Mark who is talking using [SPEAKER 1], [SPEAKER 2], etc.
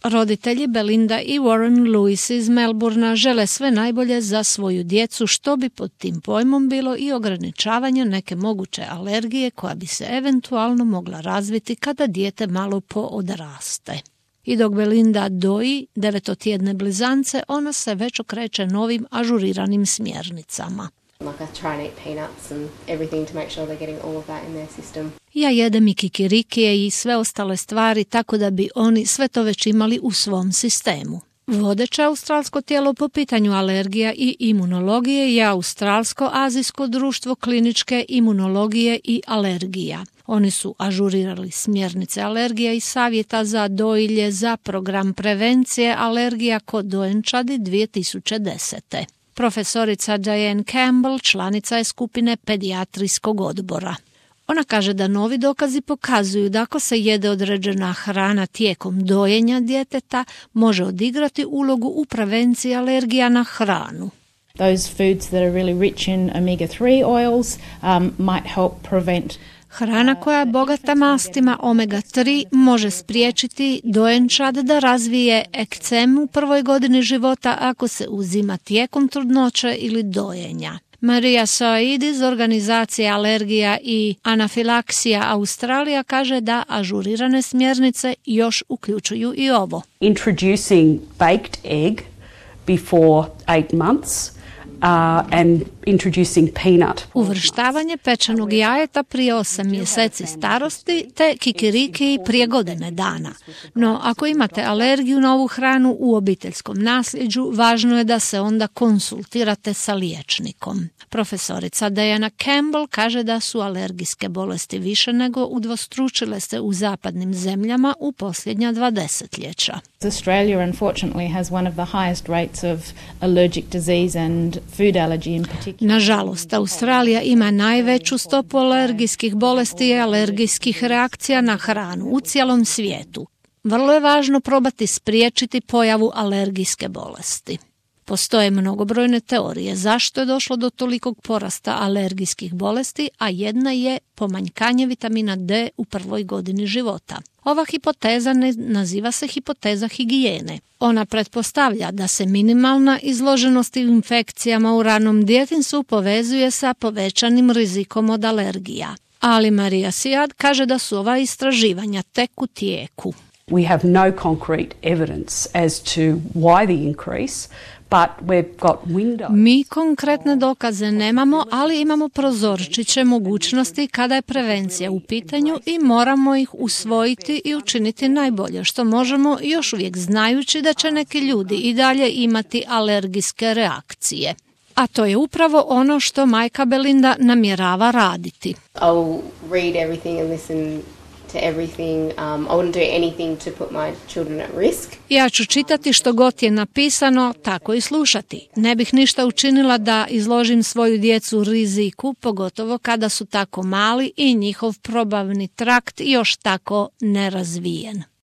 [SPEAKER 1] Roditelji Belinda i Warren Lewis iz Melbournea žele sve najbolje za svoju djecu, što bi pod tim pojmom bilo i ograničavanje neke moguće alergije koja bi se eventualno mogla razviti kada dijete malo poodraste. I dok Belinda doji 9-tjedne blizance, ona se već okreće novim ažuriranim smjernicama.
[SPEAKER 2] Like I try and eat peanuts and everything to make sure they're getting all of that in their system.
[SPEAKER 1] Ja jedem i kikirikije i sve ostale stvari tako da bi oni sve to već imali u svom sistemu. Vodeće australsko tijelo po pitanju alergija i imunologije je Australsko-azijsko društvo kliničke imunologije i alergija. Oni su ažurirali smjernice alergija i savjeta za dojilje za program prevencije alergija kod dojenčadi 2010. Profesorica Diane Campbell članica je skupine pedijatrijskog odbora. Ona kaže da novi dokazi pokazuju da ako se jede određena hrana tijekom dojenja djeteta, može odigrati ulogu u prevenciji alergija na hranu.
[SPEAKER 3] Those foods that are really rich in omega-3 oils might help prevent.
[SPEAKER 1] Hrana koja je bogata mastima omega-3 može spriječiti dojenčad da razvije ekcem u prvoj godini života ako se uzima tijekom trudnoće ili dojenja. Maria Said iz organizacije Alergija i anafilaksija Australija kaže da ažurirane smjernice još uključuju i ovo.
[SPEAKER 4] Introducing baked egg before 8 months. And introducing peanut.
[SPEAKER 1] Uvrštavanje pečenog jajeta prije 8 mjeseci starosti te kikiriki prije godine dana. No, ako imate alergiju na ovu hranu u obiteljskom nasljeđu, važno je da se onda konsultirate sa liječnikom. Profesorica Diana Campbell kaže da su alergijske bolesti više nego udvostručile se u zapadnim zemljama u posljednja 2 desetljeća.
[SPEAKER 3] Australia unfortunately has one of the highest rates of allergic disease and food allergy in particular.
[SPEAKER 1] Nažalost, Australija ima najveću stopu alergijskih bolesti i alergijskih reakcija na hranu u cijelom svijetu. Vrlo je važno probati spriječiti pojavu alergijske bolesti. Postoje mnogobrojne teorije zašto je došlo do tolikog porasta alergijskih bolesti, a jedna je pomanjkanje vitamina D u prvoj godini života. Ova hipoteza naziva se hipoteza higijene. Ona pretpostavlja da se minimalna izloženost infekcijama u ranom djetinjstvu povezuje sa povećanim rizikom od alergija. Ali Maria Siad kaže da su ova istraživanja tek u tijeku.
[SPEAKER 4] We have no concrete evidence as to why the increase, but we've got windows.
[SPEAKER 1] Mi konkretne dokaze nemamo, ali imamo prozorčiće mogućnosti kada je prevencija u pitanju i moramo ih usvojiti i učiniti najbolje što možemo, još uvijek znajući da će neki ljudi i dalje imati alergijske reakcije. A to je upravo ono što majka Belinda namjerava raditi.
[SPEAKER 2] I'll read everything and listen to everything. I wouldn't do anything to put my children at risk.
[SPEAKER 1] Ja ću čitati što god je napisano, tako i slušati. Ne bih ništa učinila da izložim svoju djecu riziku, pogotovo kada su tako mali i njihov probavni trakt još tako nerazvijen.